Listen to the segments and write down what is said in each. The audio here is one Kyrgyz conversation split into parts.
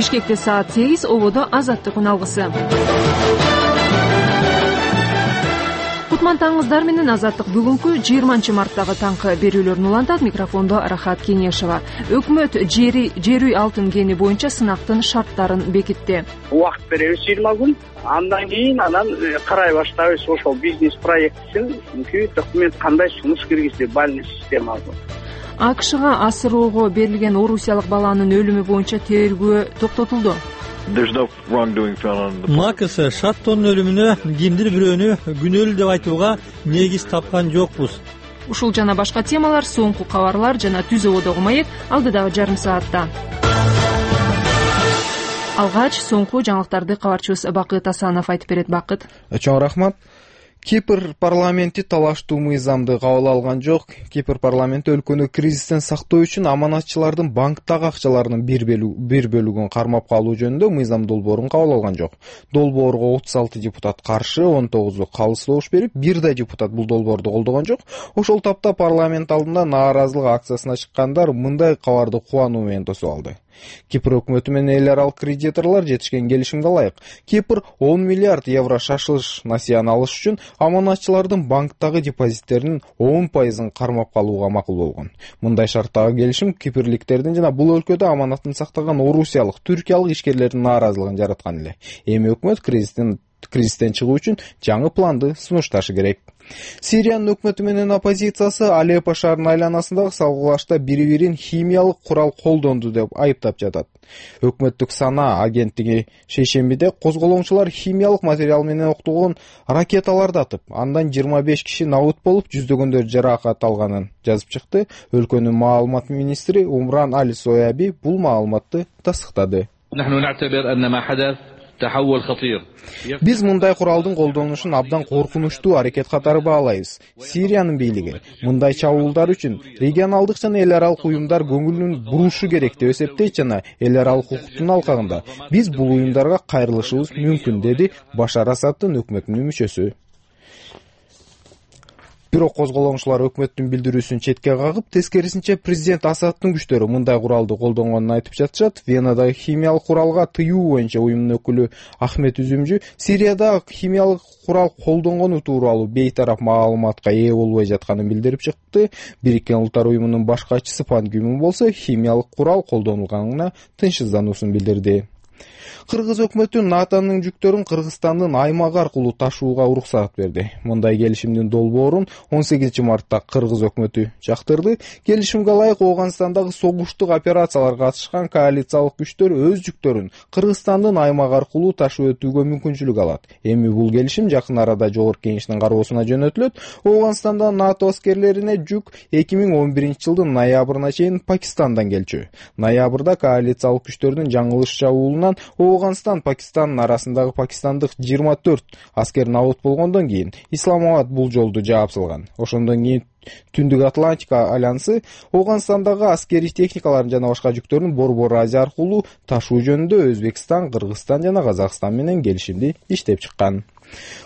Бишкекте саат 8, Ободо Азаттык үн алгысы. Кутман таңыңыздар менен Азаттык бүгүнкү 20-марттагы таңкы берүүлөрүн улантат. Микрофондо Рахат Кенешева. Өкмөт жер үй алтын кени боюнча сынактын шарттарын бекитти. Убакыт беребиз 20 күн. Андан кийин карай баштайбыз ошол бизнес проектин. Чүнкү документ кандай сунуш киргизди, бальный система. АКШга асыроого берилген орусиялык баланын өлүмү боюнча тергөө токтотулду. МАКС Шаттонун өлүмүнө кимдир бирөөнү күнөөлүү деп айтууга негиз тапкан жокпуз. Ушул жана башка темалар соңку кабарлар жана Түз Ободогу маек алдыдагы жарым саатта. Алгач соңку жаңылыктарды кабарчыбыз Бакыт Асанов айтып берет. Бакыт. Чоң рахмат. Кипр парламенти талаштуу мыйзамды кабыл алган жок. Кипр парламенти өлкөнү кризистен сактоо үчүн аманатчылардын банктагы акчаларынын бир бөлүгүн кармап калуу жөнүндө мыйзам долбоорун кабыл алган жок. Долбоорго 36 депутат каршы, 19 калыс добуш берип, бир да депутат бул долбоорду колдогон жок. Ошол тапта парламент алдында нааразылык акциясына чыккандар мындай кабарды кубануу менен тосуп алды. Кипр өкмөтү менен эл аралык кредиторлор жетишкен келишимге ылайык Кипр 10 миллиард евро шашылыш насыяны алыш үчүн аманатчылардын банктагы депозиттеринин 10% кармап калууга макул болгон. Мындай шарттагы келишим кипрликтердин жана бул өлкөдө аманатын сактаган орусиялык, түркиялык ишкерлердин нааразылыгын жараткан эле. Эми өкмөт кризистен чыгуу үчүн жаңы планды сунушташы керек. Сириянын өкмөтү менен оппозициясы Алеппо шаарынын айланасындагы салгылашта бири-бирин химиялык курал колдонду деп айыптап жатат. Өкмөттүк сана агенттиги шейшембиде козголоңчулар химиялык материал менен октолгон ракеталарды атып, андан 25 киши набыт болуп, жүздөгөндөр жаракат алганын жазып чыкты. Өлкөнүн маалымат министри Умран Аль-Сояби бул маалыматты тастыктады. Биз мындай куралдын колдонушун абдан коркунучтуу аракет катары баалайбыз. Сириянын бийлиги мындай чабуулдар үчүн регионалдык жана эл аралык уюмдар көңүлүн бурушу керек деп эсептейт жана эл аралык укуктун алкагында биз бул уюмдарга кайрылышыбыз мүмкүн, деди Башар Асаддын өкмөтүнүн мүчөсү. Бирок козголоңчулар өкмөттүн билдирүүсүн четке кагып, тескерисинче президент Асаддын күчтөрү мындай куралды колдонгонун айтып жатышат. Венадагы химиялык куралга тыюу боюнча уюмдун өкүлү Ахмет Үзүмжү Сирияда химиялык курал колдонгону тууралуу бейтарап маалыматка ээ болбой жатканын билдирип чыкты. Бириккен Улуттар уюмунун баш катчысы Пан Ги Мун болсо химиялык курал колдонулганына тынчсыздануусун билдирди. Кыргыз өкмөтү НАТОнун жүктөрүн Кыргызстандын аймагы аркылуу ташууга уруксат берди. Мындай келишимдин долбоорун 18-мартта Кыргыз өкмөтү жактырды. Келишимге ылайык Ооганстандагы согуштук операцияларга катышкан коалициялык күчтөр өз жүктөрүн Кыргызстандын аймагы аркылуу ташып өтүүгө мүмкүнчүлүк алат. Эми бул келишим жакын арада Жогорку Кеңештин кароосуна жөнөтүлөт. Ооганстанда НАТО аскерлерине жүк 2011-жылдын ноябрына чейин Пакистандан келчү. Ноябрда коалициялык күчтөрдүн жаңылыш чабуулунан Ооганстан Пакистандын арасындагы пакистандык 24 аскер набыт болгондон кийин Исламабад бул жолду жаап салган. Ошондон кийин Түндүк Атлантика альянсы Ооганстандагы аскерий техникаларын жана башка жүктөрүн Борбор Азия аркылуу ташуу жөнүндө Өзбекстан, Кыргызстан жана Казакстан менен келишимди иштеп чыккан.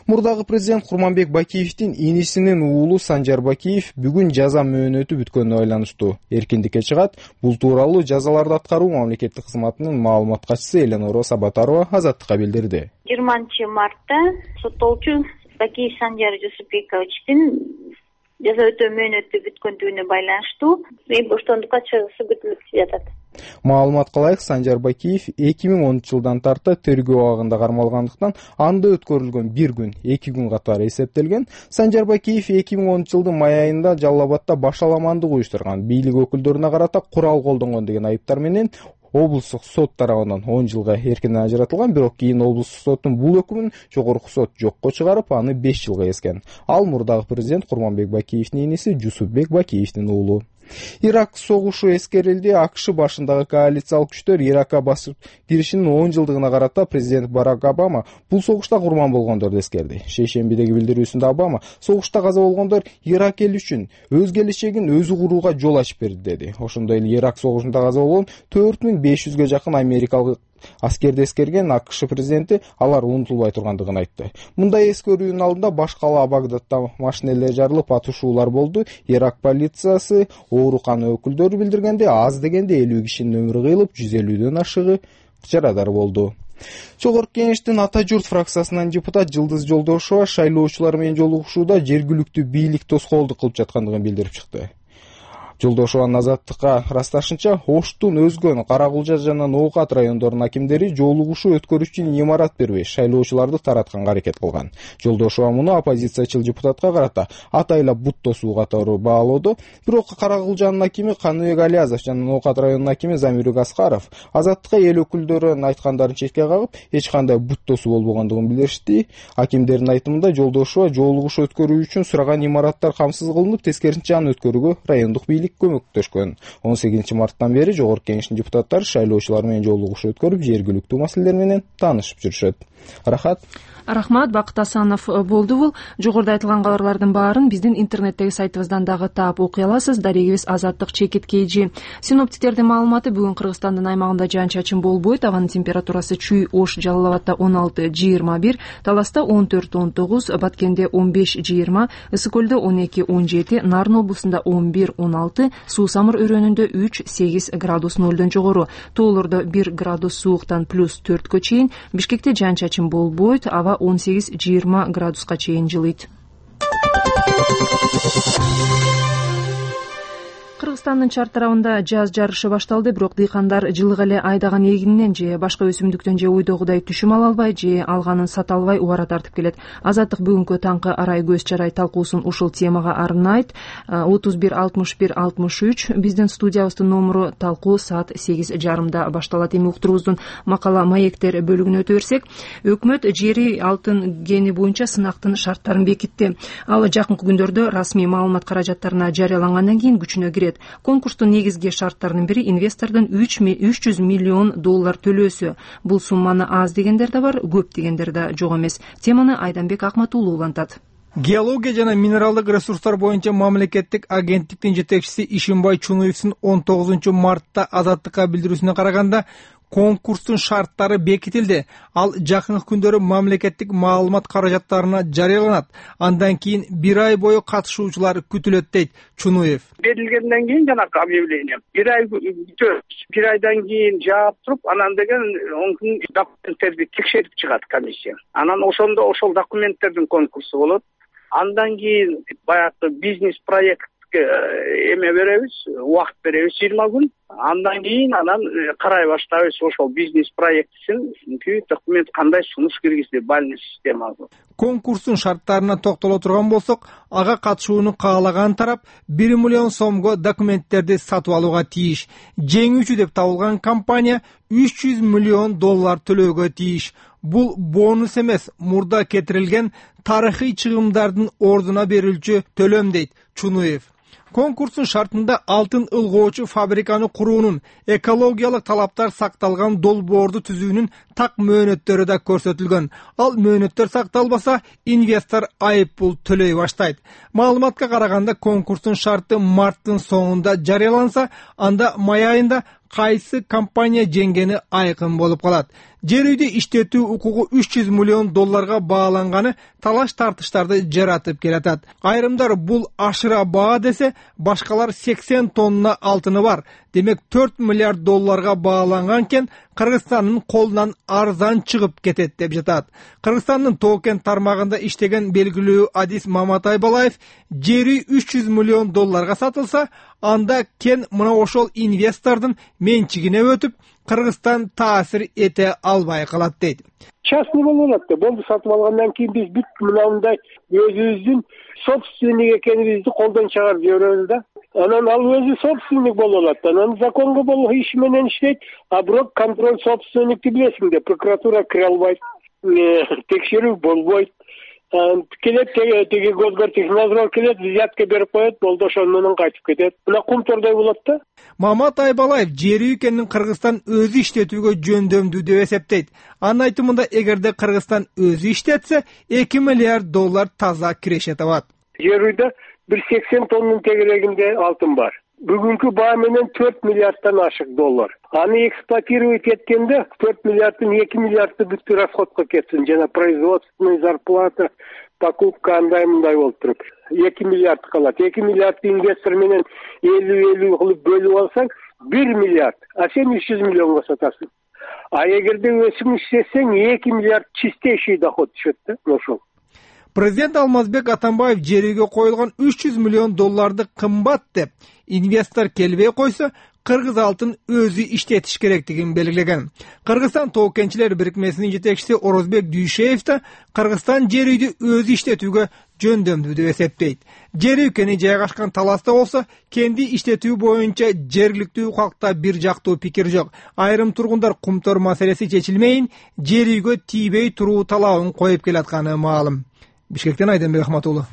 Мурдагы президент Курманбек Бакиевдин инисинин уулу Санжар Бакиев бүгүн жаза мөөнөтү бүткөнүнө байланыштуу эркиндикке чыгат. Бул тууралуу жазаларды аткаруу мамлекеттик кызматынын маалымат катчысы Эленора Сабатарова Азаттыкка билдирди. 20-мартта соттолчу Бакиев Санжар Жусупбековичтин жаза өтөө мөөнөтү бүткөндүгүнө байланыштуу боштондукка чыгышы күтүлүп жатат. Маалыматка ылайык Санжар Бакиев 2010-жылдан тарта тергөө абагында кармалгандыктан анда өткөрүлгөн 1 күн 2 күн катары эсептелген. Санжар Бакиев 2010-жылдын май айында Жалал Абадта башаламандык уюштурган, бийлик өкүлдөрүнө карата курал колдонгон деген айыптар менен облустук сот тарабынан 10 жылга эркинен ажыратылган, бирок кийин облустук соттун бул өкүмүн жогорку сот жокко чыгарып, аны 5 жылга эскен. Ал мурдагы президент Курманбек Бакиевдин иниси Жусупбек Бакиевдин уулу. Ирак согушу эскерилди. АКШ башындагы коалициялык күчтөр Иракка басып киришинин 10 жылдыгына карата президент Барак Обама бул согушта курман болгондорду эскерди. Шейшембидеги билдирүүсүндө Обама согушта каза болгондор Ирак эли үчүн өз келечегин өзү курууга жол ачып берди, деди. Ошондой эле Ирак согушунда каза болгон 4500-гө жакын америкалык аскерди эскерген АКШ президенти алар унутулбай тургандыгын айтты. Мындай эскерүүнүн алдында баш кала Багдадда машинелер жарылып, атышуулар болду. Ирак полициясы оорукана өкүлдөрү билдиргенде аз дегенде 50 кишинин өмүрү кыйылып, 150-дөн ашыгы жарадар болду. Чогорку Кеңештин Ата журт фракциясынан депутат Жылдыз Жолдошова шайлоочулар менен жолугушууда жергиликтүү бийлик тоскоолдук кылып жаткандыгын билдирип чыкты. Жолдошованын Азаттыкка ырасташынча, Оштун, Өзгөн, Кара-Кулжа жана Ноокат райондорунун акимдери жолугушуу өткөрүш үчүн имарат бербей, шайлоочуларды таратканга аракет кылган. Жолдошова муну оппозициячыл депутатка карата атайлап бут тосуу катары баалоодо, бирок Кара-Кулжанын акими Каныбек Алиязов жана Ноокат районунун акими Замирбек Аскаров Азаттыкка эл өкүлдөрүнүн айткандарын четке кагып, эч кандай бут тосуу болбогондугун билдиришти. Акимдердин айтымында Жолдошова жолугушуу өткөрүү үчүн сураган имараттар камсыз кылынып, тескерисинче аны өткөрүүгө райондук бийлик көмөктөшкөн. 18 марттан бери Жогорку Кеңештин депутаттары шайлоочулар менен жолугушуу өткөрүп, жергиликтүү маселелер менен таанышып жүрүшөт. Рахмат, Бакыт Асанов болду бул. Жогоруда айтылган кабарлардын баарын биздин интернеттеги сайтыбыздан дагы таап окуй аласыз. Дарегибиз Азаттык чекит KG. Синоптиктердин маалыматы бүгүн Кыргызстандын аймагында жаан-чачын болбойт. Абанын температурасы Чүй, Ош, Жалал Абадта 16-21, Таласта 14-19, Баткенде 15-20, Ысык Көлдө 12-17, Нарын облусунда 11-16, Суу Самыр өрөөнүндө 3-8 градус нөлдөн жогору. Тоолордо 1 градус сууктан +4 чейин. Бишкекте жаан-чачын болбойт. Аба 18-20 градуска чейин жылыйт. Кыргызстандын Чар тарабында жаз жарышы башталды, бирок дыйкандар жылык эле айдаган эгининен же башка өсүмдүктөн же ойдогудай түшүм ала албай, же алганын сата албай убара тартып келет. Азаттык бүгүнкү таңкы арай көз чарай талкуусун ушул темага арнайт. 31 61 63 биздин студиябыздын номуру. Талкуу саат 8:30 башталат. Эми уктурубуздун макала маектер бөлүгүнө өтө берсек, өкмөт жери алтын гени боюнча сынактын шарттарын бекитти. Ал жакынкы күндөрдө расмий маалымат каражаттарына жарыялангандан кийин күчүнө кирет. Конкурстун негизги шарттарынын бири инвестордун $300 миллион төлөөсү. Бул сумманы аз дегендер да бар, көп дегендер да жок эмес. Теманы Айданбек Акматуулу улантат. Геология жана минералдык ресурстар боюнча мамлекеттик агенттиктин жетекчиси Ишимбай Чунуевдин 19 мартта Азаттыкка билдирүүсүнө караганда, конкурстун шарттары бекитилди. Ал жакынкы күндөрү мамлекеттик маалымат каражаттарына жарыяланат. Андан кийин 1 ай бою катышуучулар күтүлөт дейт Чунуев. Берилгенден кийин жанакы объявление 1 ай күтөбүз. 1 айдан кийин жаап туруп, анан деген он документтерди текшерип чыгат комиссия. Анан ошондо ошол документтердин конкурсу болот. Андан кийин баягы бизнес проектке эме беребиз, убакыт беребиз 20 күн. Андан кийин карай баштайбыз ошол бизнес проектисин документ кандай сунуш киргизди, бальный системасы. Конкурстун шарттарына токтоло турган болсок, ага катышууну каалаган тарап 1 миллион сомго документтерди сатып алууга тийиш. Жеңүүчү деп табылган компания $300 миллион төлөөгө тийиш. Бул бонус эмес, мурда кетирилген тарыхый чыгымдардын ордуна берилчү төлөм дейт Чунуев. Конкурстун шартында алтын ылгоочу фабриканы куруунун, экологиялык талаптар сакталган долбоорду түзүүнүн так мөөнөттөрү да көрсөтүлгөн. Ал мөөнөттөр сакталбаса, инвестор айып пул төлөй баштайт. Маалыматка караганда, конкурстун шарты марттын соңунда жарыяланса, анда май айында кайсы компания жеңгени айкын болуп калат. Жер үйдү иштетүү укугу $300 миллион бааланганы талаш тартыштарды жаратып келатат. Айрымдар бул ашыра баа десе, башкалар 80 тонна алтыны бар. Демек $4 миллиард бааланган кен Кыргызстандын колунан арзан чыгып кетет деп жатат. Кыргызстандын Тоо-Кен тармагында иштеген белгилүү адис Мамат Айбалаев, жери $300 миллион сатылса, анда кен мына ошол инвестордун менчигине өтүп, Кыргызстан таасир эте албай калат дейт. Частный болот да, болду сатып алгандан кийин биз бүт мындай өзүбүздүн собственник экенибизди колдон чыгарып жиберебиз да. Анан ал өзү собственник болот. Анан законго болуп иш менен иштейт, а бирок контроль собственникти билесиң, прокуратура кире албайт, текшерүү болбойт. Келет теги госгортехнадзор келет, взятка берип коет, болду ошону менен кайтып кетет. Мына кумтордой болот да. Мамат Айбалаев жери экенин Кыргызстан өзү иштетүүгө жөндөмдүү деп эсептейт. Анын айтымында, эгерде Кыргызстан өзү иштетсе, $2 миллиард таза киреше табат. Жер үйдө 180 тоннун тегерегинде алтын бар. Бүгүнкү баа менен $4 миллиарддан ашык доллар. Аны эксплуатировать эткенде 4 миллиардтын 2 миллиарды бүт расходко кетсин, жана производственный зарплата, покупка андай-мындай болуп туруп. 2 миллиард калат. 2 миллиардты инвестор менен 50-50 кылып бөлүп алсаң, 1 миллиард. А сен $300 миллионго сатасың. А эгерде өсүм иштесең 2 миллиард чистейший доход түшөт да ошол. Президент Алмазбек Атамбаев жер үйгө коюлган $300 миллион кымбат деп, инвестор келбей койсо кыргыз алтын өзү иштетиш керектигин белгилеген. Кыргызстан тоо-кенчилер бирикмесинин жетекчиси Орозбек Дүйшеев да Кыргызстан жер үйдү өзү иштетүүгө жөндөмдүү деп эсептейт. Жер үй кени жайгашкан таласта болсо, кенди иштетүү боюнча жергиликтүү калкта бир жактуу пикир жок. Айрым тургундар кумтор маселеси чечилмейин, жер үйгө тийбей туруу талабын коюп келатканы маалым. Бишкектен Айденбек Ахматуллу.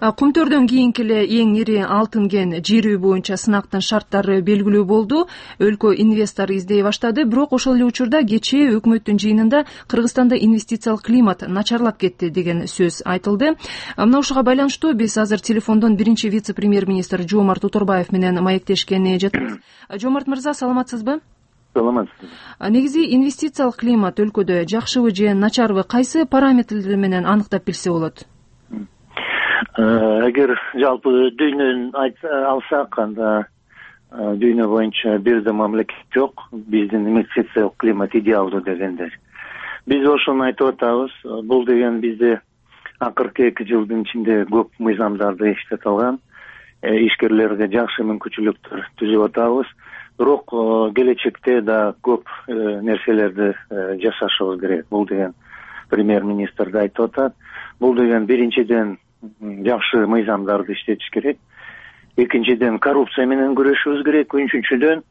Кумтөрдөн кийинки эле эң ири алтын кен жер үй боюнча сынактын шарттары белгилүү болду. Өлкө инвестор издей баштады, бирок ошол эле учурда кечээ өкмөттүн жыйынында Кыргызстанда инвестициялык климат начарлап кетти деген сөз айтылды. Мына ушуга байланыштуу биз азыр телефондон биринчи вице-премьер-министр Жомарт Уторбаев менен маектешкени жатабыз. Жомарт мырза, саламатсызбы? Саламатсызбы. Негизи инвестициялык климат өлкөдө жакшыбы же начарбы, кайсы параметрлер менен аныктап билсе болот? Эгер жалпы дүйнөнү алсак, анда дүйнө боюнча бир да мамлекет жок биздин инвестициялык климат идеалдуу дегендер. Биз ошону айтып атабыз. Бул деген бизде акыркы 2 жылдын ичинде көп мыйзамдарды иштете алган, ишкерлерге жакшы мүмкүнчүлүктөр түзүп атабыз. Бирок келечекте да көп нерселерди жасашыбыз керек. Бул деген премьер-министр да айтып атат. Бул деген биринчиден жакшы мыйзамдарды иштетиш керек. Экинчиден коррупция менен күрөшүбүз керек. Үчүнчүдөн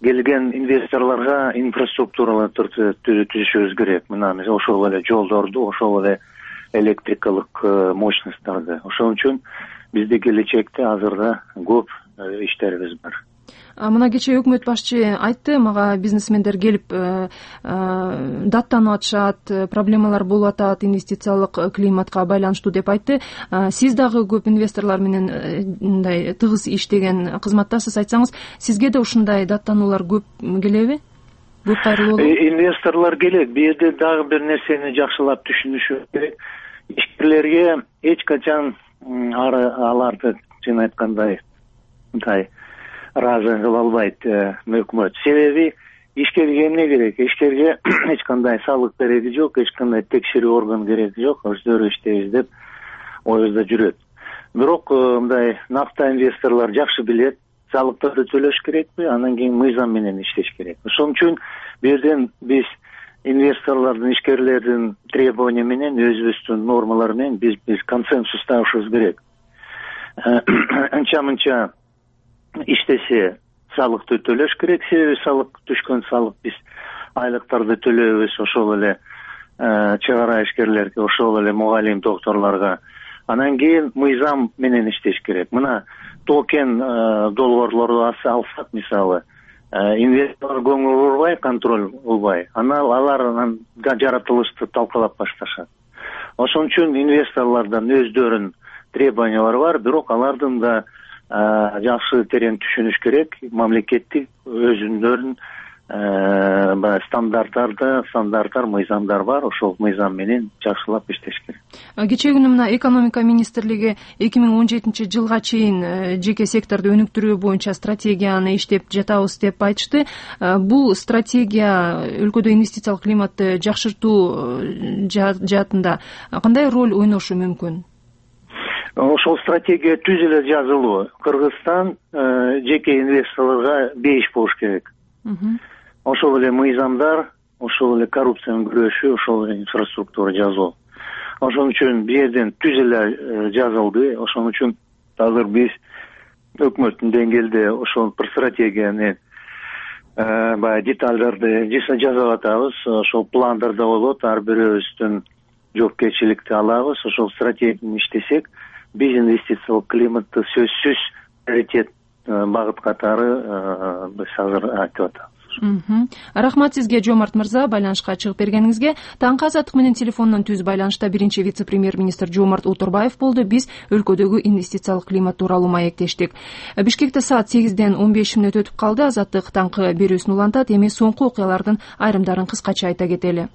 келген инвесторлорго инфраструктураларды түзүшүбүз керек. Мына ошол эле жолдорду, ошол эле электрикалык мощностьтарды. Ошон үчүн бизде келечекте азырда көп иштерибиз бар. Мына кечээ өкмөт башчы айтты, мага бизнесмендер келип даттанып атышат, проблемалар болуп атат инвестициялык климатка байланыштуу деп айтты. Сиз дагы көп инвесторлор менен мындай тыгыз иштеген кызматтасыз, айтсаңыз, сизге да ушундай даттануулар көп келеби? Көп кайрылуу болобу? Инвесторлор келет. Бу жерде дагы бир нерсени жакшылап түшүнүшү керек. Ишкерлерге эч качан аларды сен айткандай ыраазы кыла албайт өкмөт. Себеби ишкерге эмне керек? Ишкерге эч кандай салык кереги жок, эч кандай текшерүү орган кереги жок. Өздөрү иштейбиз деп оюзда жүрөт. Бирок мындай накта инвесторлор жакшы билет, салыктарды төлөш керекпи, анан кийин мыйзам менен иштеш керек. Ошон үчүн бу жерден биз инвесторлордун, ишкерлердин требования менен, өзүбүздүн нормалар менен биз консенсус табышыбыз керек. Анча-мынча иштесе салыкты төлөш керек. Себеби салык түшкөн салык биз айлыктарды төлөйбүз, ошол эле чыгара ишкерлерге, ошол эле мугалим, докторлорго. Анан кийин мыйзам менен иштеш керек. Мына токен долбоорлорду алсак, мисалы, инвестор көңүл бурбай, контроль кылбай, алар жаратылышты талкалап башташат. Ошон үчүн инвесторлордон өздөрүнүн требованиялары бар, бирок алардын да жакшы терең түшүнүш керек. Мамлекеттик өзүнүн стандарттар, мыйзамдар бар. Ошол мыйзам менен жакшылап иштеш керек. Кечээ күнү мына экономика министрлиги 2017 жылга чейин жеке секторду өнүктүрүү боюнча стратегияны иштеп жатабыз деп айтышты. Бул стратегия өлкөдө инвестициялык климатты жакшыртуу жаатында кандай роль ойношу мүмкүн? Ошол стратегия түз эле жазылуу. Кыргызстан жеке инвесторлорго бейиш болуш керек. Ошол эле мыйзамдар, ошол эле коррупция менен күрөшүү, ошол эле инфраструктура жазуу. Ошон үчүн бу жерден түз эле жазылды. Ошон үчүн азыр биз өкмөттүн деңгээлде ошол бир стратегияны баягы детальдарды жасап атабыз. Ошол пландарда болот. Ар бирөөбүздүн жоопкерчиликти алабыз. Ошол стратегияны иштесек, биз инвестициялык климатты сөзсүз приоритет багыт катары биз азыр айтып атабыз. Рахмат сизге, Жомарт мырза, байланышка чыгып бергениңизге. Таңкы азаттык менен телефондон түз байланышта биринчи вице-премьер-министр Жомарт Уторбаев болду. Биз өлкөдөгү инвестициялык климат тууралуу маектештик. Бишкекте саат 8-ден 15 мүнөт өтүп калды. Азаттык таңкы берүүсүн улантат. Эми соңку окуялардын айрымдарын кыскача айта кетели.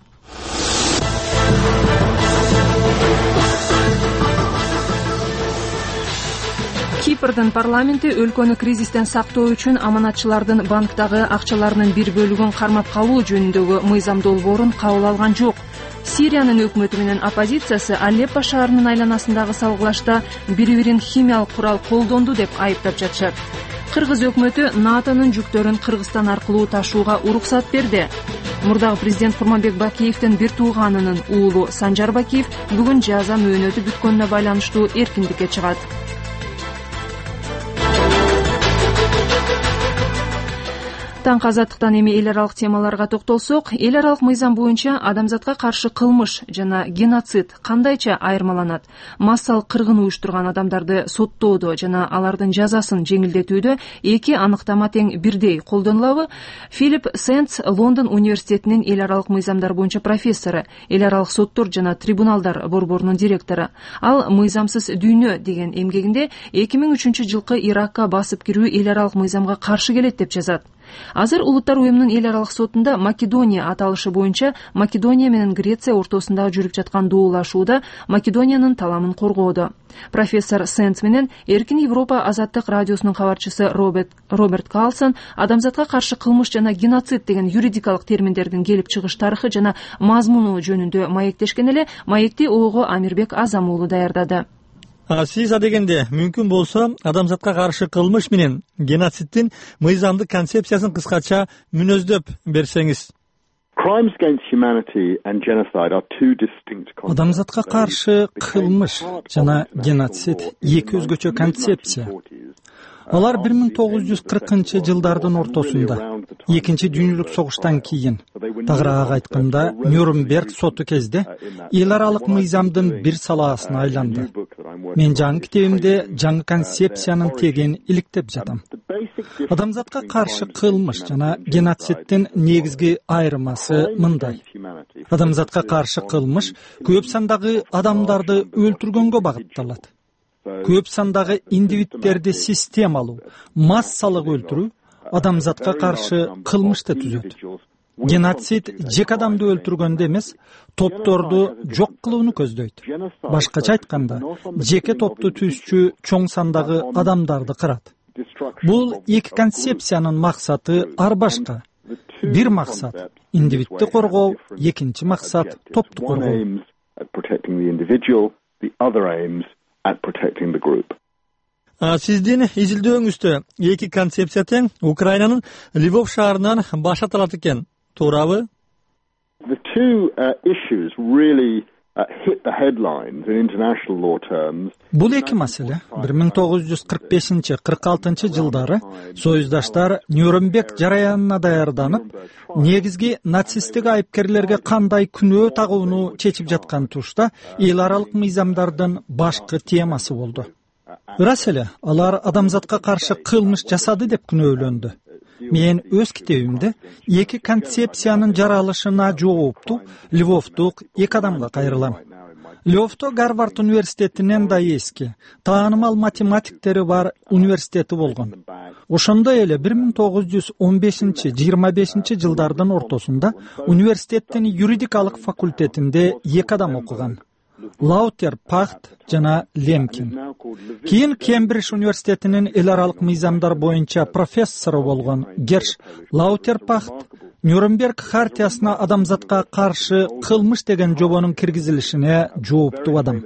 Кипрдин парламенти өлкөнү кризистен сактоо үчүн аманатчылардын банктагы акчаларынын бир бөлүгүн кармап калуу жөнүндөгү мыйзам долбоорун кабыл алган жок. Сириянын өкмөтү менен оппозициясы Алеппо шаарынын айланасындагы салгылашта бири-бирин химиялык курал колдонду деп айыптап жатышат. Кыргыз өкмөтү НАТОнун жүктөрүн Кыргызстан аркылуу ташууга уруксат берди. Мурдагы президент Курманбек Бакиевдин бир тууганынын уулу Санжар Бакиев бүгүн жаза мөөнөтү бүткөнүнө байланыштуу эркиндикке чыгат. Таңкы азаттыктан эми эл аралык темаларга токтолсок, эл аралык мыйзам боюнча адамзатка каршы кылмыш жана геноцид кандайча айырмаланат? Массалык кыргын уюштурган адамдарды соттоодо жана алардын жазасын жеңилдетүүдө эки аныктама тең бирдей колдонулабы? Филипп Сенц Лондон университетинин эл аралык мыйзамдар боюнча профессору, эл аралык соттор жана трибуналдар борборунун директору. Ал «Мыйзамсыз дүйнө» деген эмгегинде 2003 жылкы Иракка басып кирүү эл аралык мыйзамга каршы келет деп жазат. Азыр Улуттар уюмунун эл аралык сотунда Македония аталышы боюнча Македония менен Греция ортосунда жүрүп жаткан доолашууда Македониянын таламын коргоодо. Профессор Сенц менен Эркин Европа азаттык радиосунун кабарчысы Роберт Карлсон адамзатка каршы кылмыш жана геноцид деген юридикалык терминдердин келип чыгыш тарыхы жана мазмуну жөнүндө маектешкен эле маекти ого Амирбек Азам уулу даярдады. Сиз адегенде мүмкүн болсо адамзатка каршы кылмыш менен геноциддин мыйзамдык концепциясын кыскача мүнөздөп берсеңиз. Адамзатка каршы кылмыш жана геноцид эки өзгөчө концепция. Алар 1940 жылдардын ортосунда, Экинчи дүйнөлүк согуштан кийин, тагыраак айтканда, Нюрнберг соту кезде эл аралык мыйзамдын бир салаасына айланды. Мен жаңы китебимде жаңы концепциянын тегин иликтеп жатам. Адамзатка каршы кылмыш жана геноциддин негизги айырмасы мындай. Адамзатка каршы кылмыш көп сандагы адамдарды өлтүргөнгө багытталат. Көп сандагы индивидтерди системалуу, массалык өлтүрүү адамзатка каршы кылмышты түзөт. Геноцид жеке адамды өлтүргөндө эмес, топторду жок кылууну көздөйт. Башкача айтканда, жеке топту түзчү чоң сандагы адамдарды кырат. Бул эки концепциянын максаты ар башка. Бир максат — индивидти коргоо, экинчи максат — топту коргоо. Сиздин изилдөөңүздө эки концепция тең Украинанын Львов шаарынан башталат экен, туурабы? Бул эки маселе 1945-46 жылдары союздаштар Нюрнберг жараянына даярданып, негизги нацисттик айыпкерлерге кандай күнөө тагууну чечип жаткан тушта эл аралык мыйзамдардын башкы темасы болду. Ырас эле, алар адамзатка каршы кылмыш жасады деп күнөөлөндү. Мен өз китебимде эки концепциянын жаралышына жоопту Львовдук эки адамга кайрылам. Львовдо Гарвард университетинен да эски, таанымал математиктери бар университети болгон. Ошондой эле 1915-25 жылдардын ортосунда университеттин юридикалык факультетинде эки адам окуган. Лаутер Пахт жана Лемкин. Кийин Кембридж университетинин эл аралык мыйзамдар боюнча профессору болгон Герш Лаутер Пахт Нюрнберг хартиясына адамзатка каршы кылмыш деген жобонун киргизилишине жооптуу адам.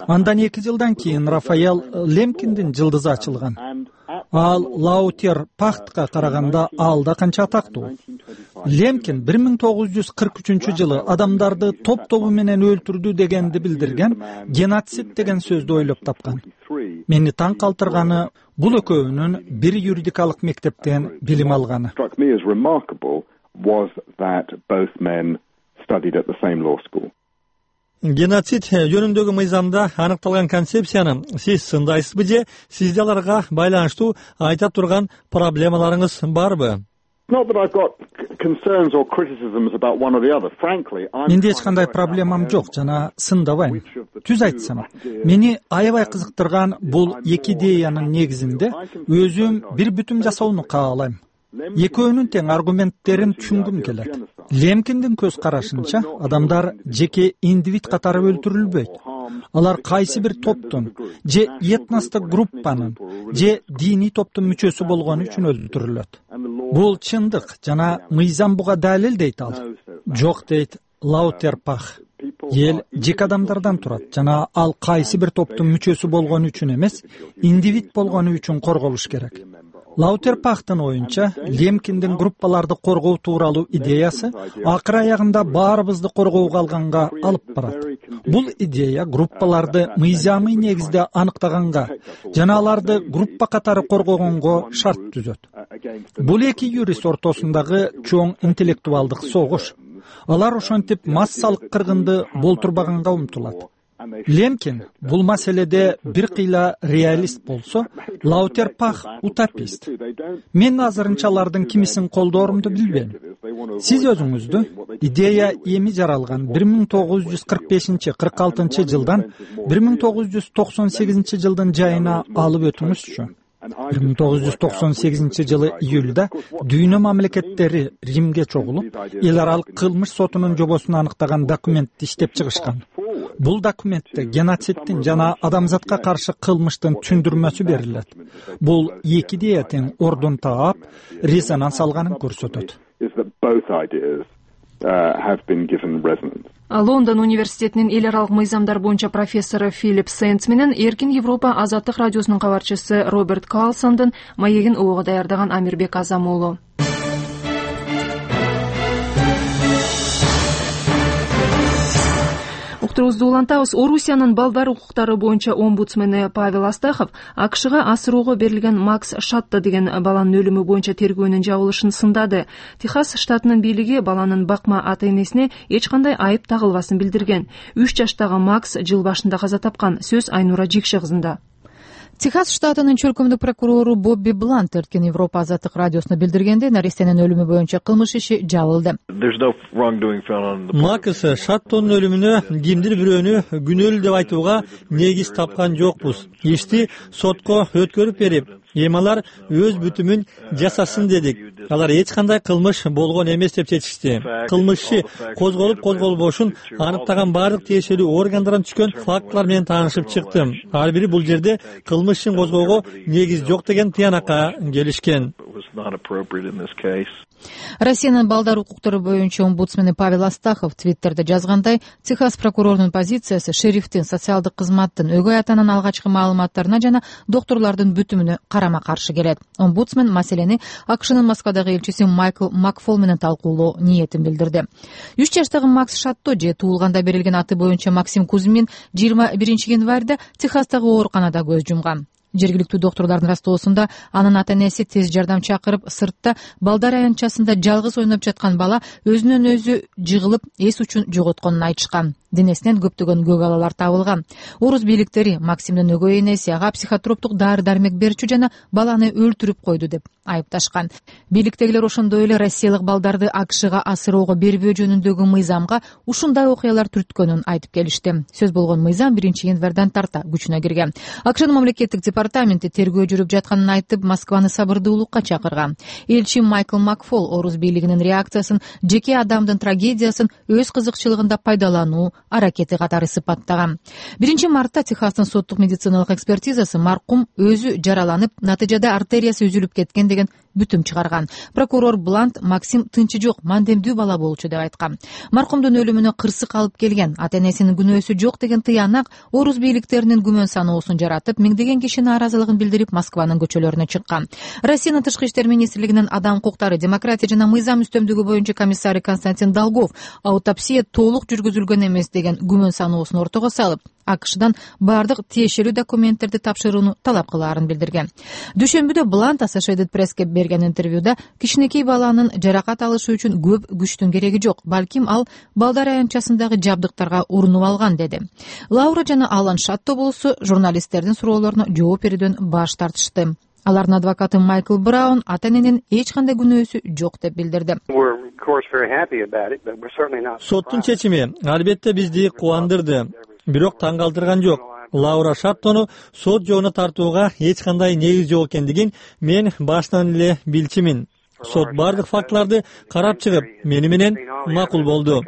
Андан 2 жылдан кийин Рафаэл Лемкиндин жылдызы ачылган. Ал Лаутер Пахтка караганда ал да канча атактуу. Лемкин 1943 жылы адамдарды топ-тобу менен өлтүрдү дегенди билдирген геноцид деген сөздү ойлоп тапкан. Мени таң калтырганы бул экөөнүн бир юридикалык мектептен билим алганы. Геноцид жөнүндөгү мыйзамда аныкталган концепцияны сиз сындайсызбы же сизде аларга байланыштуу айта турган проблемаларыңыз барбы? Менде эч кандай проблемам жок жана сындабайм. Түз айтсам, мени аябай кызыктырган бул эки идеянын негизинде өзүм бир бүтүм жасоону каалайм. Экөөнүн тең аргументтерин түшүнгүм келет. Лемкиндин көз карашынча адамдар жеке индивид катары өлтүрүлбөйт. алар кайсы бир топтун же этностук группанын же диний топтун мүчөсү болгону үчүн өлтүрүлөт. Бул чындык жана мыйзам буга далил дейт ал. Жок дейт Лаутерпах. Эл жеке адамдардан турат жана ал кайсы бир топтун мүчөсү болгону үчүн эмес, индивид болгону үчүн корголуш керек. Лаутерпахтын оюнча, Лемкиндин группаларды коргоо тууралуу идеясы акыр аягында баарыбызды коргоого алганга алып барат. Бул идея группаларды мыйзамый негизде аныктаганга жана аларды группа катары коргогонго шарт түзөт. Бул эки юрист ортосундагы чоң интеллектуалдык согуш. Алар ошентип массалык кыргынды болтурбаганга умтулат. Лемкин бул маселеде бир кыйла реалист болсо, Лаутерпах утопист. Мен азырынча алардын кимисин колдоорумду билбейм. Сиз өзүңүздү идея эми жаралган 1945-46 жылдан 1998 жылдын жайына алып өтүңүзчү. 1998 жылы июлда дүйнө мамлекеттери Римге чогулуп, эл аралык кылмыш сотунун жобосун аныктаган документти иштеп чыгышкан. Бул документте геноцидтин жана адамзатка каршы кылмыштын түндүрмөсү берилет. Бул эки идея тең ордун таап, резонанс алганын көрсөтөт. Лондон университетинин эл аралык мыйзамдар боюнча профессору Филипп Сенц менен Эркин Европа азаттык радиосунун кабарчысы Роберт Карлсондун маегин угууга даярдаган Амирбек Азам уулу. Уктурубузду улантабыз. Орусиянын балдар укуктары боюнча омбудсмени Павел Астахов АКШга асыроого берилген Макс Шатто деген баланын өлүмү боюнча тергөөнүн жабылышын сындады. Техас штатынын бийлиги баланын бакма ата-энесине эч кандай айып тагылбасын билдирген. 3 жаштагы Макс жыл башында каза тапкан. Сөз Айнура Жикши кызында. Техас штатынын чөлкөмдүк прокурору Бобби Блант Эркин Европа азаттык радиосуна билдиргенде, нарестенин өлүмү боюнча кылмыш иши жабылды. Макс Шаттонун өлүмүнө кимдир бирөөнү күнөөлүү деп айтууга негиз тапкан жокпуз. Ишти сотко өткөрүп берип, эми алар өз бүтүмүн жасасын дедик. Алар эч кандай кылмыш болгон эмес деп чечишти. Кылмыш козголбошун аныктаган баардык тиешелүү органдардан түшкөн фактылар менен таанышып чыктым. Ар бири бул жерде кылмыш козгоого негиз жок деген тыянакка келишкен. Россиянын балдар укуктары боюнча омбудсмени Павел Астахов Твиттерде жазгандай, Техас прокурорунун позициясы шерифтин, социалдык кызматтын, өгөй атанын алгачкы маалыматтарына жана докторлордун бүтүмүнө карама-каршы келет. Омбудсмен маселени АКШнын Москвадагы элчиси Майкл Макфол менен талкуулоо ниетин билдирди. 3 жаштагы Макс Шатто же туулганда берилген аты боюнча Максим Кузьмин 21 январда Техастагы ооруканада көз жумган. Жергиликтүү докторлордун растоосунда анын ата-энеси тез жардам чакырып, сыртта балдар аянтчасында жалгыз ойноп жаткан бала өзүнөн өзү жыгылып, эс учун жоготконун айтышкан. Денесинен көптөгөн көгалалар табылган. Орус бийликтери Максимдин өгөй энеси ага психотроптук дары-дармек берчү жана баланы өлтүрүп койду деп айыпташкан. Бийликтегилер ошондой эле россиялык балдарды АКШга асыроого бербөө жөнүндөгү мыйзамга ушундай окуялар түрткөнүн айтып келишти. Сөз болгон мыйзам 1 январдан тарта күчүнө кирген. АКШнын мамлекеттик департаменти тергөө жүрүп жатканын айтып, Москваны сабырдуулукка чакырган. Элчи Майкл Макфол Орус бийлигинин реакциясын жеке адамдын трагедиясын өз кызыкчылыгында пайдалануу аракети катары сыпаттаган. 1 мартта Техастын соттук медициналык экспертизасы маркум өзү жараланып, натыйжада артериясы үзүлүп кеткен деген бүтүм чыгарган. Прокурор Блант Максим тынчы жок, мандемдүү бала болчу деп айткан. Маркумдун өлүмүнө кырсык алып келген, ата-энесинин күнөөсү жок деген тыянак Орус бийликтеринин күмөн саноосун жаратып, миңдеген киши нааразылыгын билдирип Москванын көчөлөрүнө чыккан. Россиянын тышкы иштер министрлигинин адам укуктары, демократия жана мыйзам үстөмдүгү боюнча комиссары Константин Долгов аутопсия толук жүргүзүлгөн эмес деген күмөн саноосун ортого салып, АКШдан бардык тиешелүү документтерди тапшырууну талап кылаарын билдирген. Дүйшөмбүдө Блант Associated Press'ке берген интервьюда кичинекей баланын жаракат алышы үчүн көп күчтүн кереги жок, балким ал балдар аянтчасындагы жабдыктарга урунуп алган деди. Лаура жана Алан Шатто болсо журналисттердин суроолоруна жооп берүүдөн баш тартышты. Алардын адвокаты Майкл Браун ата-эненин эч кандай күнөөсү жок деп билдирди. Соттун чечими албетте бизди кубандырды, бирок таң калтырган жок. Лаура Шаттону сот жоона тартууга эч кандай негиз жок экендигин мен баштан эле билчимин. Сот бардык фактыларды карап чыгып, мени менен макул болду.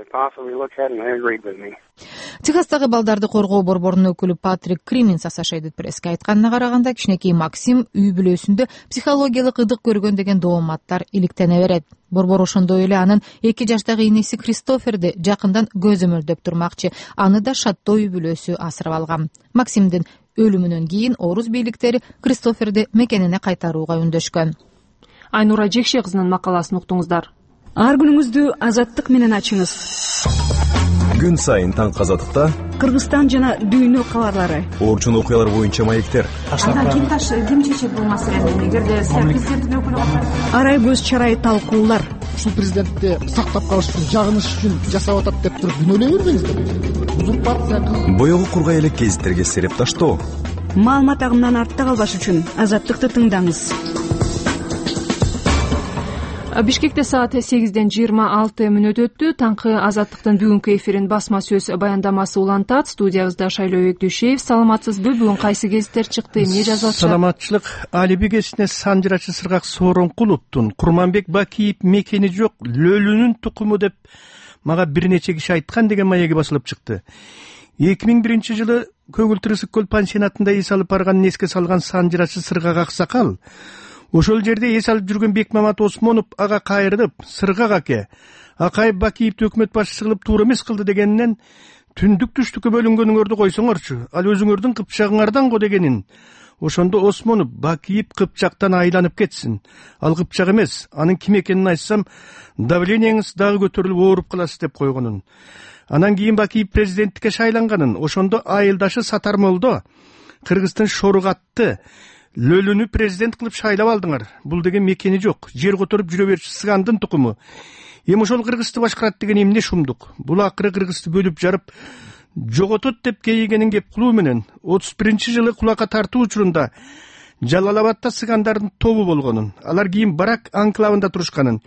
Техастагы балдарды коргоо борборунун өкүлү Патрик Криминс Associated Press'ке айтканына караганда, кичинекей Максим үй бүлөсүндө психологиялык ыдык көргөн деген дооматтар иликтене берет. Борбор ошондой эле анын 2 жаштагы инеси Кристоферди жакындан көзөмөлдөп турмакчы. Аны да шаттоо үй бүлөсү асырап алган. Максимдин өлүмүнөн кийин орус бийликтери Кристоферди мекенине кайтарууга үндөшкөн. Айнура Жекше кызынын макаласын уктуңуздар. Ар күнүңүздү азаттык менен ачыңыз. Күн сайын таң азаттыкта Кыргызстан жана дүйнө кабарлары. Орчун окуялар боюнча маектер. Ким чечет бул маселени? Эгерде президенттин өкүлү арай көз чарай талкуулар. Ушул президентти сактап калыш үчүн, жагыныш үчүн жасап атат деп туруп күнөөлөй бербеңиздер. Узурпация. Боёгу кургай элек гезиттерге сереп таштоо. Маалымат агымынан артта калбаш үчүн азаттыкты тыңдаңыз. Бишкекте саат 8:26 өттү. Таңкы азаттыктын бүгүнкү эфирин басма сөз баяндамасы улантат. Студиябызда Шайлообек Дүйшеев. Саламатсызбы? Бүгүн кайсы гезиттер чыкты? Эмне жазып атышат? Саламатчылык. Алиби гезитине Санжырачы Сыргак Сооронкуловдун Курманбек Бакиев мекени жок лөлүнүн тукуму деп мага бир нече киши айткан деген маеги басылып чыкты. 2001-жылы Көгүл Тырысык көл пансионатында эс алып барганын эске салган Санжырачы Сыргак аксакал ошол жерде эс алып жүргөн Бекмамат Осмонов ага кайрылып, Сыргак аке, Акаев Бакиевди өкмөт башчысы кылып туура эмес кылды дегенинен түндүк түштүккө бөлүнгөнүңөрдү койсоңорчу, ал өзүңөрдүн кыпчагыңардан го дегенин. Ошондо Осмонов Бакиев кыпчактан айланып кетсин. Ал кыпчак эмес, анын ким экенин айтсам, давлениеңиз дагы көтөрүлүп ооруп каласыз деп койгонун. Анан кийин Бакиев президенттикке шайланганын. Ошондо айылдашы Сатар Молдо Кыргыздын Шоругатты лөлүнү президент кылып шайлап алдыңар. Бул деген мекени жок. Жер которуп жүрө берчү Сыгандын тукуму. Эми ошол Кыргызды башкарат деген эмне шумдук. Бул акыры Кыргызды бөлүп жарып жоготот деп кейигенин кеп кылуу менен 31-жылы кулакка тартуу учурунда Жалалабадта Сыгандардын тобу болгонун. Алар кийин Барак анклавында турушканын.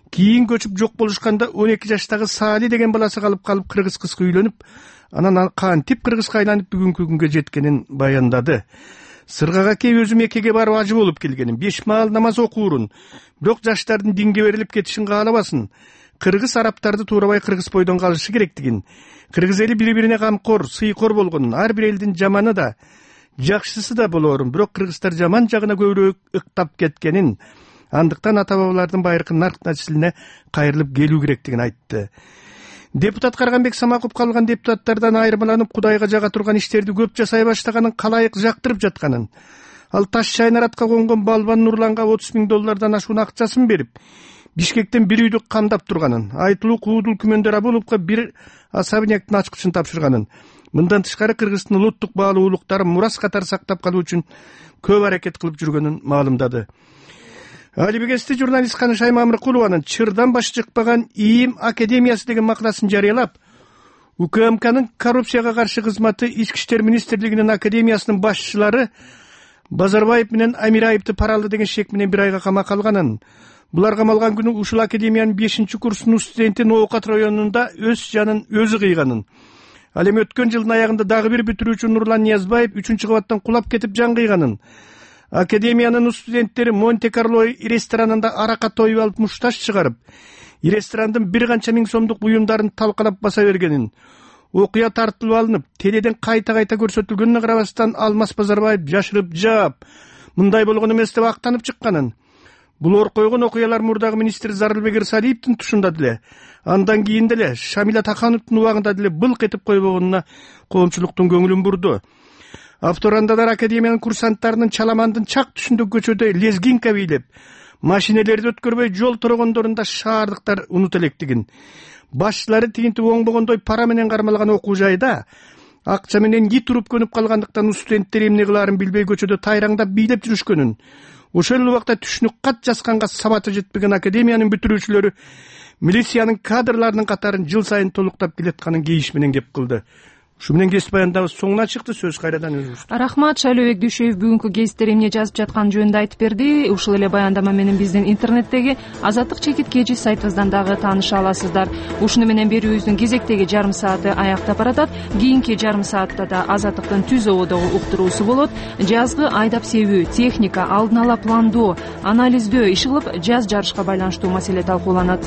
Кийин көчүп жок болушканда 12 жаштагы Сали деген баласы калып кыргыз кызга үйлөнүп, анан кантип Кыргызга айланып бүгүнкү күнгө жеткенин баяндады. Сыргак аке өзү Меккеге барып ажы болуп келгенин, 5 маал намаз окуурун, бирок жаштардын динге берилип кетишин каалабасын. Кыргыз араптарды туурабай кыргыз бойдон калышы керектигин, кыргыз эли бири-бирине камкор, сыйкор болгонун, ар бир элдин жаманы да, жакшысы да болорун, бирок кыргыздар жаман жагына көбүрөөк ыктап кеткенин, андыктан ата-бабалардын байыркы нарк нәсилине кайрылып келүү керектигин айтты. Депутат Карганбек Самаков калган депутаттардан айырмаланып Кудайга жага турган иштерди көп жасай баштаганын, калайык жактырып жатканын, ал таш чайнаратка конгон Балбан Нурланга $30,000 ашуун акчасын берип, Бишкектен бир үйдү камдап турганын, Айтылуу Куудул Күмөндөр Абуловго бир особнякты ачкычын тапшырганын. Мындан тышкары Кыргыздын улуттук баалуу улуктарын мурас катары сактап калуу үчүн көп аракет кылып жүргөнүн маалымдады. Алибегесте журналист Каныш Аймамыркулованын чырдан башы чыкпаган ИИМ Академиясы деген макаласын жарыялап, УКМКнын коррупцияга каршы кызматы Ички иштер министрлигинин академиясынын башчылары Базарбаев менен Амираевди пара алды деген шек менен бир айга камакка алганын. Булар камалган күнү ушул академиянын 5-курсунун студенти Ноокат районунда өз жанын өзү кыйганын. Ал эми өткөн жылдын аягында дагы бир бүтүрүүчү Нурлан Ниязбаев 3-кабаттан кулап кетип жан кыйганын. Академиянын студенттери Монте-Карло ресторанында арака тоюп алып мушташ чыгарып, ресторандын бир канча миң сомдук буюмдарын талкалап баса бергенин, окуя тартылып алынып, теледен кайта-кайта көрсөтүлгөнүнө карабастан Алмаз Базарбаев жашырып жаап, мындай болгон эмес деп актанып чыкканын. Бул ор койгон окуялар мурдагы министр Зарылбек Ирсалиевдин тушунда деле, андан кийин деле Шамиля Такановдун убагында деле былк этип койбогонуна коомчулуктун көңүлүн бурду. Авторандадар академиянын курсанттарынын Чаламандын чак түшүндөгү көчөдө лезгинка бийлеп, машинелерди өткөрбөй жол тургондорунда шаардыктар унут электигин, башчылары тигинтип оңбогондой пара менен кармалган окуу жайда акча менен ит уруп көнүп калгандыктан студенттер эмне кылаарын билбей көчөдө тайраңдап бийлеп жүрүшкөнүн, ошол эле убакта түшүнүк кат жазганга сабаты жетпеген академиянын бүтүрүүчүлөрү милициянын кадрларынын катарын жыл сайын толуктап келатканын кейиш менен кеп кылды. Ушу менен кесип баяндабыз соңуна чыкты. Сөз кайрадан өзүңүз. Рахмат. Шайлообек Дүйшөев бүгүнкү гезиттер эмне жазып жатканы жөнүндө айтып берди. Ушул эле баяндама менен биздин интернеттеги Азаттык чекит кежи сайтыбыздан дагы тааныша аласыздар. Ушуну менен берүүбүздүн кезектеги жарым сааты аяктап баратат. Кийинки жарым саатта да Азаттыктын түз ободогу уктуруусу болот. Жазгы айдап себүү, техника, алдын ала пландоо, анализдөө иши кылып жаз жарышка байланыштуу маселе талкууланат.